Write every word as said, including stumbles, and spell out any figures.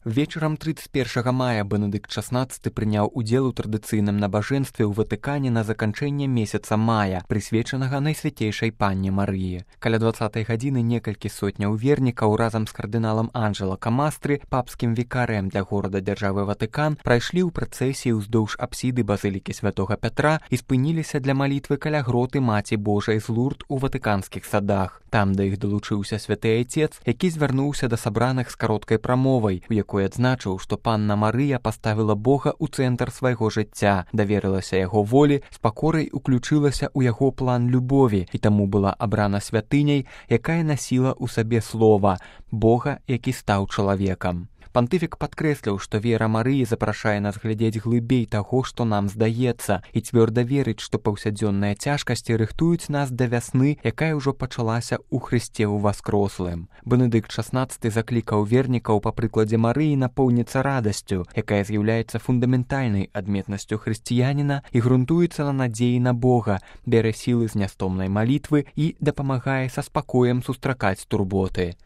Вечарам тридцать першага мая Бенедыкт шаснаццаты прыняў удзел у традыцыйным набажэнстве ў Ватыкане на заканчэнне месяца мая, прысвечанага Найсвяцейшай Панне Марыі. Каля дваццатай гадзіны некалькі сотняў вернікаў разам з кардыналам Анджэло Камастры, папскім вікарыем для горада дзяржавы Ватыкан, прайшлі ў працэсіі ўздоўж апсіды базылікі святога Пятра і спыніліся для малітвы каля гроты Маці Божай з Лурд у ватыканскіх садах. Там да іх далучыўся святы айцец, які звярнуўся да сабраных з кароткай прамовай, у якой адзначыў, што панна Марыя паставіла Бога ў цэнтр свайго жыцця, даверылася яго волі, з пакорай уключылася ў яго план любові і таму была абрана святыняй, якая насіла ў сабе слова Бога, які стаў чалавекам. Пантыфік падкрэсліў, што вера Марыі запрашае нас глядзець глыбей таго, што нам здаецца, і цвёрда верыць, што паўсядзённыя цяжкасці рыхтуюць нас да вясны, якая ўжо пачалася ў Хрысце ўваскрослым. Бенедыкт шаснаццаты заклікаў вернікаў па прыкладзе Марыі напоўніцца радасцю, якая з'яўляецца фундаментальнай адметнасцю хрысціяніна і грунтуецца на надзеі на Бога, бярэ сілы з нястомнай малітвы і дапамагае са спакоем сустракаць турботы.